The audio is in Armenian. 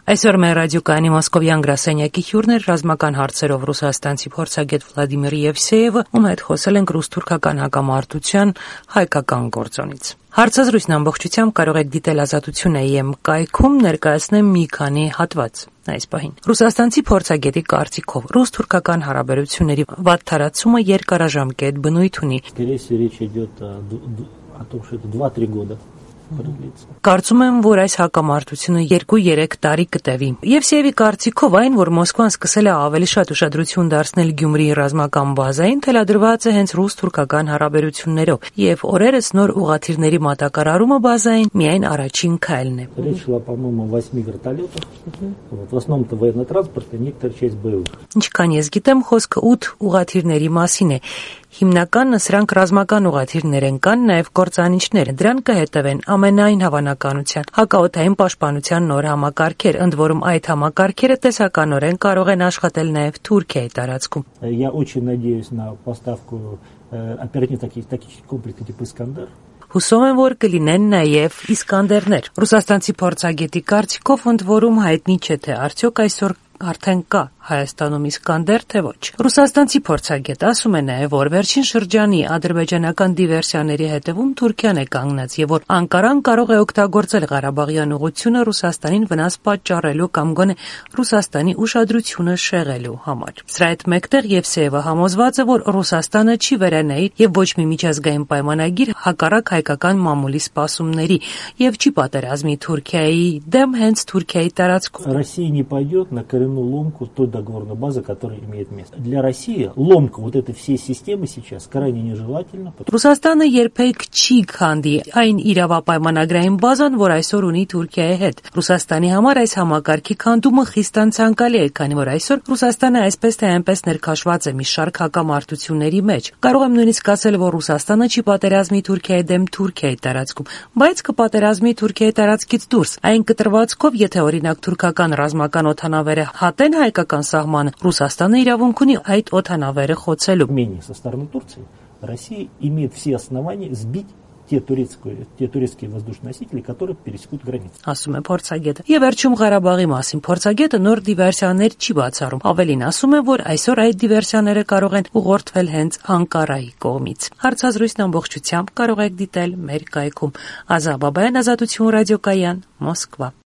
Այսօր մեր ռադիոկայանի մոսկովյան գրասենյակի հյուրն էր ռազմական հարցերով ռուսաստանցի փորձագետ Վլադիմիր Եվսեևը, ում հետ խոսել ենք ռուս-թուրքական հակամարտության հայկական գործոնից։ Հարցազրույցն ամբողջությամբ կարող եք դիտել Ազատություն.am կայքում, ներկայացնեմ մի քանի հատված այս պահին։ Ռուսաստանցի փորձագետի կարծիքով ռուս-թուրքական հարաբերությունների վատթարացումը երկարաժամկետ բնույթ ունի։ Կարծում եմ, որ այս հակամարտությունը 2-3 տարի կտևի։ Եվսեևի կարծիքով այն, որ Մոսկվան սկսել է ավելի շատ ուշադրություն դարձնել Գյումրիի ռազմական բազային, թելադրված է հենց ռուս-թուրքական հարաբերություններով, եւ օրերս նոր ուղղաթիռների մատակարարումը բազային միայն առաջին քայլն է։ Ինչքան ես գիտեմ, խոսքը 8 ուղղաթիռների մասին է։ Հիմնականը սրանք ռազմական ուղղաթիռներ են, կան նաև կործանիչներ։ Դրան կհետևեն ամենայն հավանականության հակաօդային պաշտպանության նոր համակարգեր, ընդ որում այդ համակարգերը տեսականորեն կարող են աշխատել նաև Թուրքիայի տարածքում։ Հուսով եմ, որ կլինեն նաև Իսկանդերներ։ Ռուսաստանցի փորձագետի կարծիքով ընդ որում հայտնի չէ, թե արդյոք այսօր արդեն կա Հայաստանում Իսկանդեր, թե ոչ։ Ռուսաստանցի փորձագետը ասում է նաև, որ վերջին շրջանի ադրբեջանական դիվերսիաների հետևում Թուրքիան է կանգնած եւ որ Անկարան կարող է օգտագործել Ղարաբաղյան ուղղությունը Ռուսաստանին վնաս պատճառելու կամ գոնե Ռուսաստանի ուշադրությունը շեղելու համար։ Սրա հետ մեկտեղ Եվսեևը համոզված է, որ Ռուսաստանը չի վերանայի եւ ոչ մի միջազգային պայմանագիր հակառակ հայկական մամուլի սպասումների եւ չի պատերազմի Թուրքիայի դեմ հենց Թուրքիայի տարածքում։ Ломку той договорной базы, которая имеет место. Для России ломка вот этой всей системы сейчас крайне нежелательна. Ռուսաստանը երբեք չի քանդի այն իրավապայմանագրային բազան, որ այսօր ունի Թուրքիայի հետ։ Ռուսաստանի համար այս համակարգի քանդումը խիստ անցանկալի է, քանի որ այսօր Ռուսաստանը այսպես թե այնպես ներքաշված է մի շարք հակամարտությունների մեջ։ Կարող եմ նույնիսկ ասել, որ Ռուսաստանը չի պատերազմի Թուրքիայի դեմ Թուրքիայի տարածքում, բայց կպատերազմի Թուրքիայի տարածքից դուրս։ Այն կտրվածքով, եթե օրինակ թուրքական ռազմական օդանավերը հատեն հայկական սահմանը, Ռուսաստանը իրավունք ունի այդ օդանավերը խոցելու։ Со стороны Турции Россия имеет все основания сбить те турецкие воздушносители, которые пересекут границу. Ասում է փորձագետը։ Եվ վերջում Ղարաբաղի մասին փորձագետը նոր դիվերսիաներ չի բացառում։ Ավելին ասում է, որ այսօր այդ դիվերսիաները կարող են ուղղորդվել հենց Անկարայի կողմից։ Հարցազրույցն ամբողջությամբ կարող եք դիտել մեր կայքում։ Ազա Բաբայան, Ազատություն ռադիոկայան, Մոսկվա։